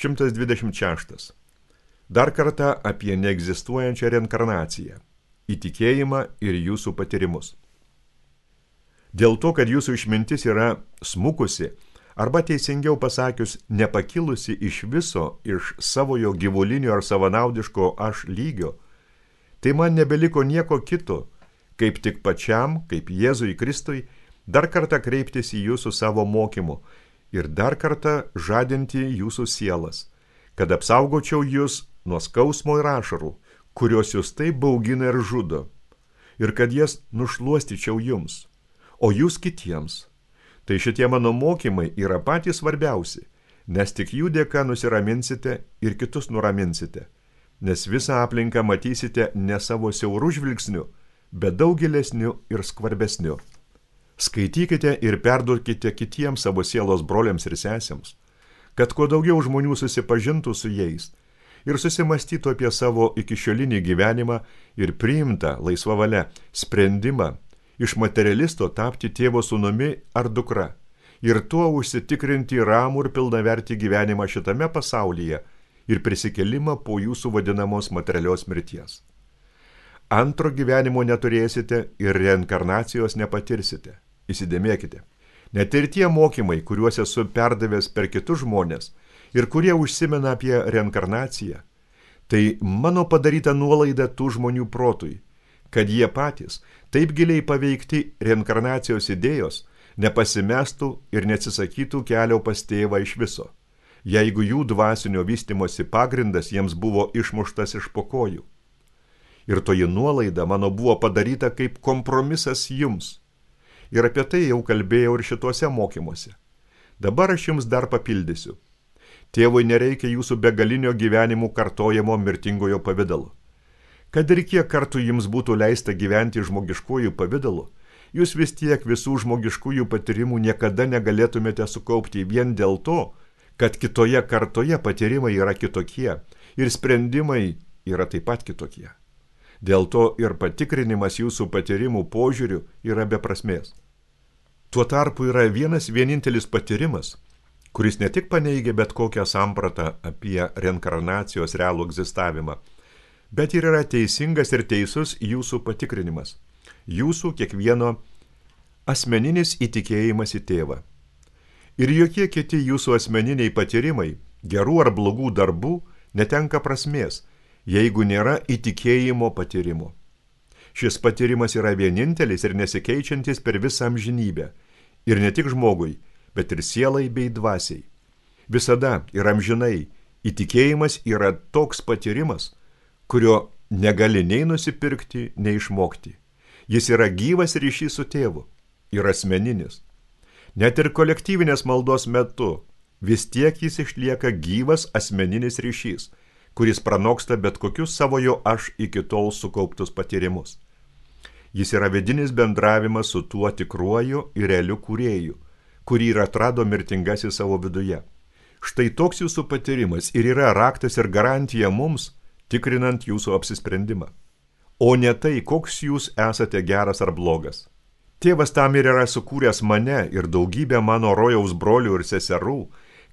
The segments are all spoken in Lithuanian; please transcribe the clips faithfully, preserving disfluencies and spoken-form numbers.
šimtas dvidešimt šeštas. Dar kartą apie neegzistuojančią reinkarnaciją, įtikėjimą ir jūsų patyrimus. Dėl to, kad jūsų išmintis yra smukusi, arba teisingiau pasakius, nepakilusi iš viso, iš savojo gyvulinio ar savanaudiško aš lygio, tai man nebeliko nieko kito, kaip tik pačiam, kaip Jėzui Kristui, dar kartą kreiptis į jūsų savo mokymu ir dar kartą žadinti jūsų sielas, kad apsaugočiau jūs nuo skausmo ir ašarų, kurios jūs taip baugina ir žudo, ir kad jas nušluostyčiau jums, o jūs kitiems. Tai šitie mano mokymai yra patys svarbiausi, nes tik jų dėka nusiraminsite ir kitus nuraminsite, nes visą aplinką matysite ne savo siaurų žvilgsniu, bet daug gilesniu ir skvarbesniu. Skaitykite ir perduokite kitiems savo sielos broliams ir sesėms, kad kuo daugiau žmonių susipažintų su jais ir susimastytų apie savo ikišiolinį gyvenimą ir priimtą laisva valia sprendimą iš materialisto tapti tėvo sūnumi ar dukra ir tuo užsitikrinti ramų ir pilnavertį gyvenimą šitame pasaulyje ir prisikelimą po jūsų vadinamos materialios mirties. Antro gyvenimo neturėsite ir reinkarnacijos nepatirsite. Įsidėmėkite. Net ir tie mokymai, kuriuos esu perdavęs per kitus žmonės ir kurie užsimena apie reinkarnaciją, tai mano padaryta nuolaida tų žmonių protui, kad jie patys, taip giliai paveikti reinkarnacijos idėjos, nepasimestų ir neatsisakytų kelio pas tėvą iš viso, jeigu jų dvasinio vystymosi pagrindas jiems buvo išmuštas iš po kojų. Ir toji nuolaida mano buvo padaryta kaip kompromisas jums. Ir apie tai jau kalbėjau ir šituose mokymuose. Dabar aš jums dar papildysiu. Tėvui nereikia jūsų begalinio gyvenimų kartojamo mirtingojo pavidalu. Kad ir kiek kartų jums būtų leista gyventi žmogiškųjų pavidalu, jūs vis tiek visų žmogiškųjų patyrimų niekada negalėtumėte sukaupti vien dėl to, kad kitoje kartoje patyrimai yra kitokie ir sprendimai yra taip pat kitokie. Dėl to ir patikrinimas jūsų patyrimų požiūrių yra be prasmės. Tuo tarpu yra vienas vienintelis patyrimas, kuris ne tik paneigia bet kokią sampratą apie reinkarnacijos realų egzistavimą, bet ir yra teisingas ir teisus jūsų patikrinimas, jūsų kiekvieno asmeninis įtikėjimas į tėvą. Ir jokie kiti jūsų asmeniniai patyrimai, gerų ar blogų darbų, netenka prasmės, jeigu nėra įtikėjimo patyrimo. Šis patyrimas yra vienintelis ir nesikeičiantis per visą amžinybę, ir ne tik žmogui, bet ir sielai bei dvasiai. Visada ir amžinai įtikėjimas yra toks patyrimas, kurio negali nei nusipirkti, nei išmokti. Jis yra gyvas ryšys su tėvu ir asmeninis. Net ir kolektyvinės maldos metu vis tiek jis išlieka gyvas asmeninis ryšys, kuris pranoksta bet kokius savojo aš iki tol sukauptus patyrimus. Jis yra vidinis bendravimas su tuo tikruoju ir realiu kūrėju, kurį ir atrado mirtingasis savo viduje. Štai toks jūsų patyrimas ir yra raktas ir garantija mums, tikrinant jūsų apsisprendimą. O ne tai, koks jūs esate geras ar blogas. Tėvas tam ir yra sukūręs mane ir daugybę mano rojaus brolių ir seserų,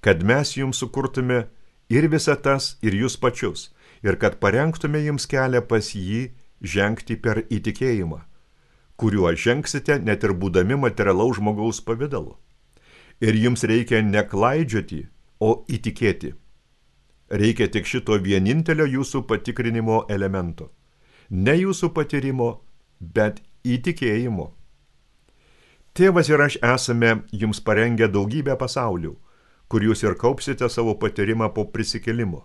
kad mes jums sukurtume ir visą tas, ir jūs pačius, ir kad parengtume jums kelią pas jį žengti per įtikėjimą, kuriuo žengsite net ir būdami materialaus žmogaus pavidalu. Ir jums reikia neklaidžioti, o įtikėti. Reikia tik šito vienintelio jūsų patikrinimo elemento. Ne jūsų patyrimo, bet įtikėjimo. Tėvas ir aš esame jums parengę daugybę pasaulių, kur jūs ir kaupsite savo patyrimą po prisikėlimo.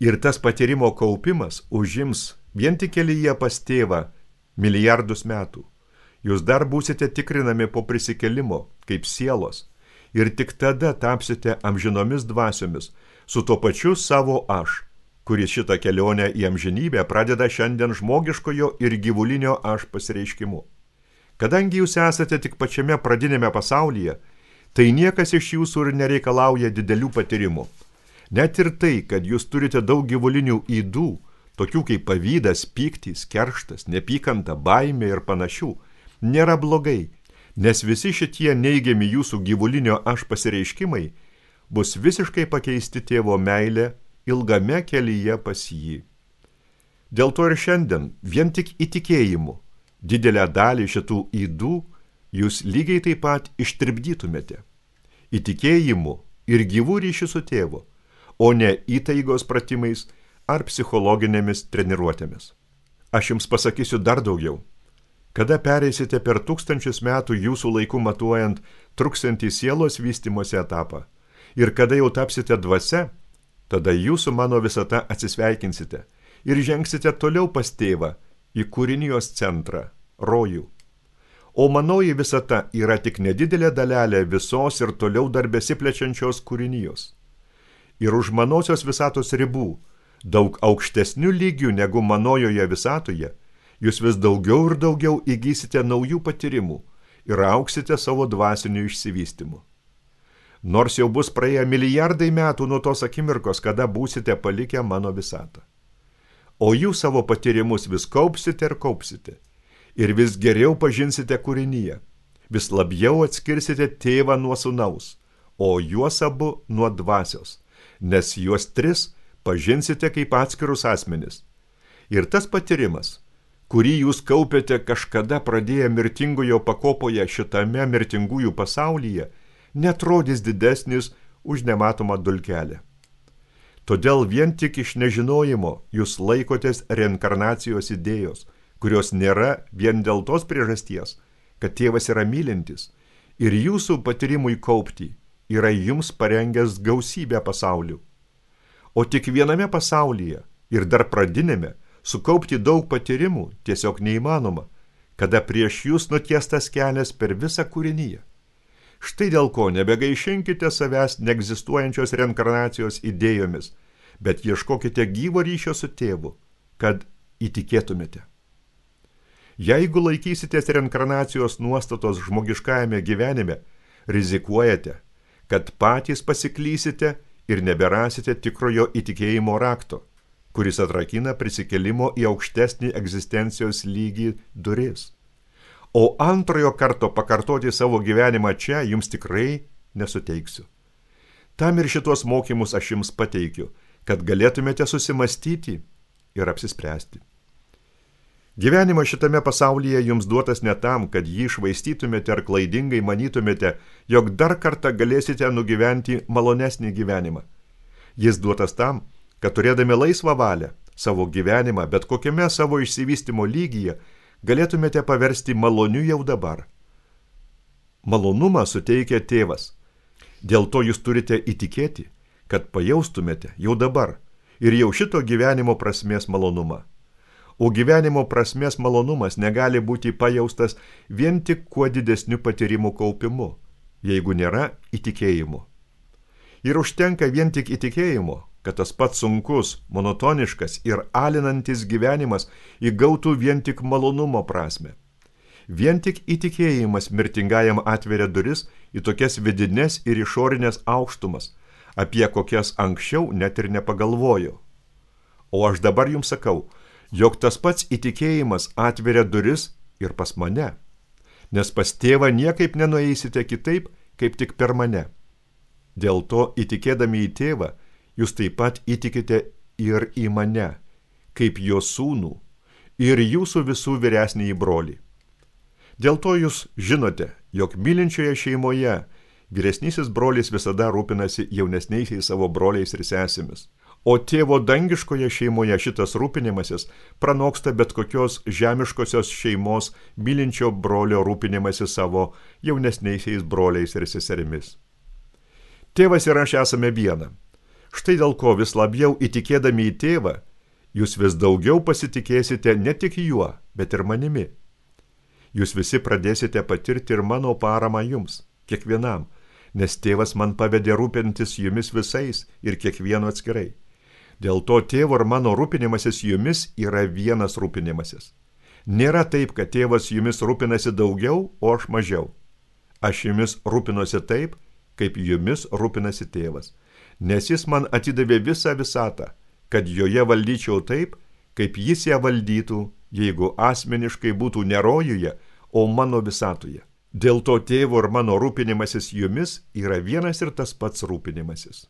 Ir tas patyrimo kaupimas užims vien tik kelyje pas tėvą milijardus metų. Jūs dar būsite tikrinami po prisikėlimo, kaip sielos, ir tik tada tapsite amžinomis dvasiomis su tuo pačiu savo aš, kuris šitą kelionę į amžinybę pradeda šiandien žmogiškojo ir gyvulinio aš pasireiškimu. Kadangi jūs esate tik pačiame pradinėme pasaulyje, tai niekas iš jūsų ir nereikalauja didelių patyrimų. Net ir tai, kad jūs turite daug gyvulinių ydų, tokių kaip pavydas, pyktis, kerštas, nepykanta, baimė ir panašių, nėra blogai, nes visi šitie neigiami jūsų gyvulinio aš pasireiškimai bus visiškai pakeisti tėvo meilė ilgame kelyje pas jį. Dėl to ir šiandien vien tik įtikėjimu didelę dalį šitų ydų jūs lygiai taip pat ištirpdytumėte. Įtikėjimu ir gyvų ryšių su tėvu, o ne įtaigos pratimais ar psichologinėmis treniruotėmis. Aš jums pasakysiu dar daugiau. Kada pereisite per tūkstančius metų jūsų laiku matuojant truksantį sielos vystymosi etapą ir kada jau tapsite dvasia, tada jūsų mano visata atsisveikinsite ir žengsite toliau pas tėvą į kūrinijos centrą, rojų. O manoji visata yra tik nedidelė dalelė visos ir toliau dar besiplečiančios kūrinijos. Ir už manosios visatos ribų, daug aukštesnių lygių negu manojoje visatoje, jūs vis daugiau ir daugiau įgysite naujų patyrimų ir auksite savo dvasiniu išsivystymu. Nors jau bus praėję milijardai metų nuo tos akimirkos, kada būsite palikę mano visatą. O jūs savo patyrimus vis kaupsite ir kaupsite, ir vis geriau pažinsite kūrinyje, vis labiau atskirsite tėvą nuo sūnaus, o juos abu nuo dvasios, nes juos tris pažinsite kaip atskirus asmenis. Ir tas patyrimas, kurį jūs kaupėte kažkada pradėję mirtingojo pakopoje šitame mirtingųjų pasaulyje, netrodys didesnis už nematomą dulkelę. Todėl vien tik iš nežinojimo jūs laikotės reinkarnacijos idėjos, kurios nėra vien dėl tos priežasties, kad tėvas yra mylintis ir jūsų patyrimui kaupti yra jums parengęs gausybę pasaulių. O tik viename pasaulyje ir dar pradinėme sukaupti daug patyrimų tiesiog neįmanoma, kada prieš jūs nutiestas kelias per visą kūrinyje. Štai dėl ko nebegaišinkite savęs neegzistuojančios reinkarnacijos idėjomis, bet ieškokite gyvo ryšio su tėvu, kad įtikėtumėte. Jeigu laikysitės reinkarnacijos nuostatos žmogiškajame gyvenime, rizikuojate, kad patys pasiklysite ir neberasite tikrojo įtikėjimo rakto, kuris atrakina prisikėlimo į aukštesnį egzistencijos lygį duris. O antrojo karto pakartoti savo gyvenimą čia jums tikrai nesuteiksiu. Tam ir šitos mokymus aš jums pateikiu, kad galėtumėte susimastyti ir apsispręsti. Gyvenimas šitame pasaulyje jums duotas ne tam, kad jį švaistytumėte ar klaidingai manytumėte, jog dar kartą galėsite nugyventi malonesnį gyvenimą. Jis duotas tam, kad turėdami laisvą valią, savo gyvenimą, bet kokiame savo išsivystymo lygyje, galėtumėte paversti maloniu jau dabar. Malonumą suteikia tėvas. Dėl to jūs turite įtikėti, kad pajaustumėte jau dabar ir jau šito gyvenimo prasmės malonumą. O gyvenimo prasmės malonumas negali būti pajaustas vien tik kuo didesniu patyrimų kaupimu, jeigu nėra įtikėjimo. Ir užtenka vien tik įtikėjimo, kad tas pats sunkus, monotoniškas ir alinantis gyvenimas įgautų vien tik malonumo prasme. Vien tik įtikėjimas mirtingajam atveria duris į tokias vidines ir išorinės aukštumas, apie kokias anksčiau net ir nepagalvojau. O aš dabar jums sakau, jog tas pats įtikėjimas atveria duris ir pas mane, nes pas tėvą niekaip nenueisite kitaip, kaip tik per mane. Dėl to, įtikėdami į tėvą, jūs taip pat įtikite ir į mane, kaip jo sūnų ir jūsų visų vyresnįjį brolį. Dėl to jūs žinote, jog mylinčioje šeimoje vyresnysis brolis visada rūpinasi jaunesniaisiais savo broliais ir sesėmis. O tėvo dangiškoje šeimoje šitas rūpinimasis pranoksta bet kokios žemiškosios šeimos mylinčio brolio rūpinimasi savo jaunesniaisiais broliais ir seserimis. Tėvas ir aš esame viena. Štai dėl ko vis labiau įtikėdami į tėvą, jūs vis daugiau pasitikėsite ne tik juo, bet ir manimi. Jūs visi pradėsite patirti ir mano paramą jums, kiekvienam, nes tėvas man pavedė rūpintis jumis visais ir kiekvienu atskirai. Dėl to tėvo ir mano rūpinimasis jumis yra vienas rūpinimasis. Nėra taip, kad tėvas jumis rūpinasi daugiau, o aš mažiau. Aš jumis rūpinosi taip, kaip jumis rūpinasi tėvas, nes jis man atidavė visą visatą, kad joje valdyčiau taip, kaip jis ją valdytų, jeigu asmeniškai būtų ne rojuje, o mano visatoje. Dėl to tėvo ir mano rūpinimasis jumis yra vienas ir tas pats rūpinimasis.